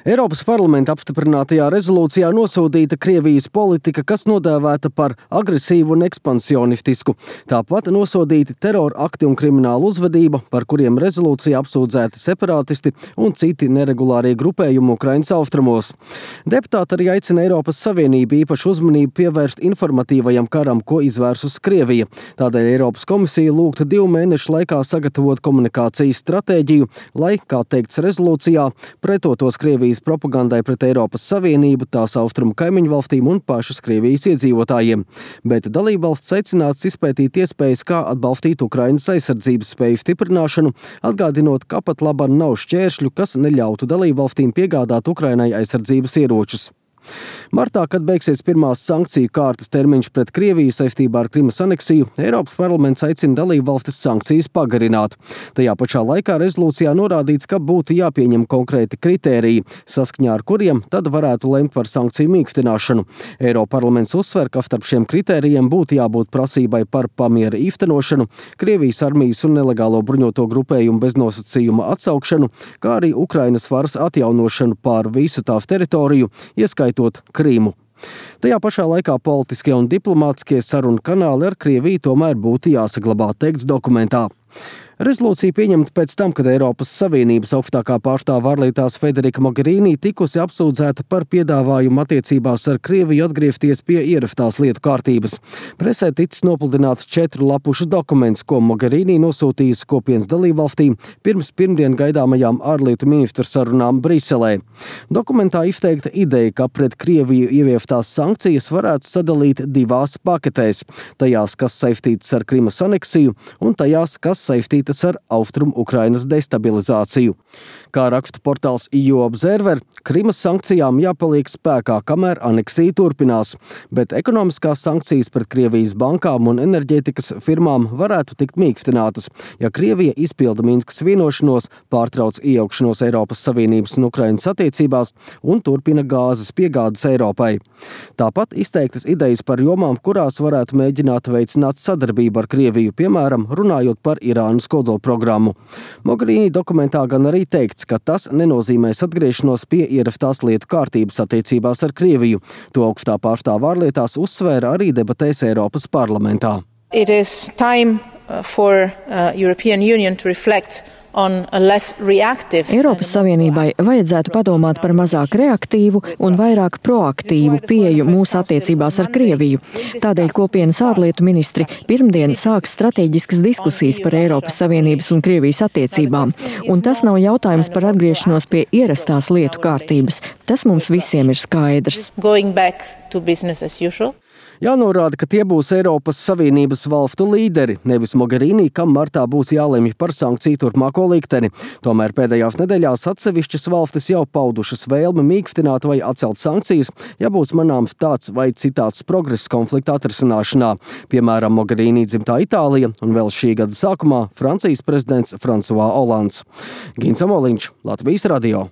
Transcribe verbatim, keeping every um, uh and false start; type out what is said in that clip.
Eiropas parlamenta apstiprinātajā rezolūcijā nosodīta Krievijas politika, kas nodēvēta par agresīvu un ekspansionistisku. Tāpat nosodīti terora akti un krimināla uzvedība, par kuriem rezolūcijā apsūdzēti separātisti un citi neregulārie grupējumi Ukrainas austrumos. Deputāti arī aicina Eiropas Savienību īpašu uzmanību pievērst informatīvajam karam, ko izvērsus Krievija. Tādēļ Eiropas komisija lūgta divu mēnešu laikā sagatavot komunikācijas stratēģiju, lai, kā teikts rezolūcijā, pretotos Krievijas propagandai pret Eiropas Savienību, tās austrumu kaimiņu valstīm un pašas Krievijas iedzīvotājiem. Bet dalībvalsts aicināts izpētīt iespējas, kā atbalstīt Ukrainas aizsardzības spēju stiprināšanu, atgādinot, ka pat laban nav šķēršļu, kas neļautu dalībvalstīm piegādāt Ukrainai aizsardzības ieročus. Martā, kad beigsies pirmās sankciju kārtas termiņš pret Krieviju saistībā ar Krimas aneksiju, Eiropas parlaments aicina dalībvalstis sankcijas pagarināt. Tajā pašā laikā rezolūcijā norādīts, ka būtu jāpieņem konkrēti kritēriji, saskaņā ar kuriem tad varētu lemt par sankciju mīkstināšanu. Eiroparlaments uzsver, ka starp šiem kritērijiem būtu jābūt prasībai par pamiera īstenošanu, Krievijas armijas un nelegālo bruņoto grupējumu beznosacījuma atsaukšanu, kā arī Ukrainas varas atjaunošanu pār visu tās teritoriju, ieskaitot Krīmu. Tajā pašā laikā politiskie un diplomātiskie sarunu kanāli ar Krieviju tomēr būtu jāsaglabā, teikts dokumentā. Rezolūcija pieņemta pēc tam, kad Eiropas Savienības augstākā pārstāve ārlietās Federika Mogherini tikusi apsūdzēta par piedāvājumu attiecībās ar Krieviju atgriezties pie ierastās lietu kārtības. Presē ticis nopludināts četru lapušu dokuments, ko Mogherini nosūtījusi kopienas dalībvalstīm pirms pirmdien gaidāmajām ārlietu ministru sarunām Briselē. Dokumentā izteikta ideja, ka pret Krieviju ieviestās sankcijas varētu sadalīt divās paketēs, tajās, kas saistītas ar Krimas aneksiju, un tajās, kas saistītas ar Austrumu Ukrainas destabilizāciju. Kā raksta portāls E U Observer, Krimas sankcijām jāpaliek spēkā, kamēr aneksija turpinās, bet ekonomiskās sankcijas pret Krievijas bankām un enerģētikas firmām varētu tikt mīkstinātas, ja Krievija izpilda Minskas vienošanos, pārtrauc iejaukšanos Eiropas Savienības un Ukrainas attiecībās un turpina gāzes piegādes Eiropai. Tāpat izteiktas idejas par jomām, kurās varētu mēģināt veicināt sadarbību ar Krieviju, piemēram, runājot par Irānas kodolprogrammu. Mogherini dokumentā gan arī teikts, ka tas nenozīmēs atgriešanos pie ierastās lietu kārtības attiecībās ar Krieviju. To augstā pārstāve ārlietās uzsvēra arī debatēs Eiropas parlamentā. It is time for uh, European Union to reflect Eiropas Savienībai vajadzētu padomāt par mazāk reaktīvu un vairāk proaktīvu pieeju mūsu attiecībās ar Krieviju. Tādēļ kopienas ārlietu ministri pirmdien sāks strateģiskas diskusijas par Eiropas Savienības un Krievijas attiecībām. Un tas nav jautājums par atgriešanos pie ierastās lietu kārtības. Tas mums visiem ir skaidrs. Jānorāda, ka tie būs Eiropas Savienības valstu līderi, nevis Mogherini, kam martā būs jālemj par sankciju turpmāko likteni. Tomēr pēdējās nedēļās atsevišķas valstis jau paudušas vēlmi mīkstināt vai atcelt sankcijas, ja būs manāms tāds vai citāds progress konflikta atrisināšanā. Piemēram, Mogherini dzimtā Itālija un vēl šī gada sākumā Francijas prezidents François Hollands. Gins Amoliņš, Latvijas radio.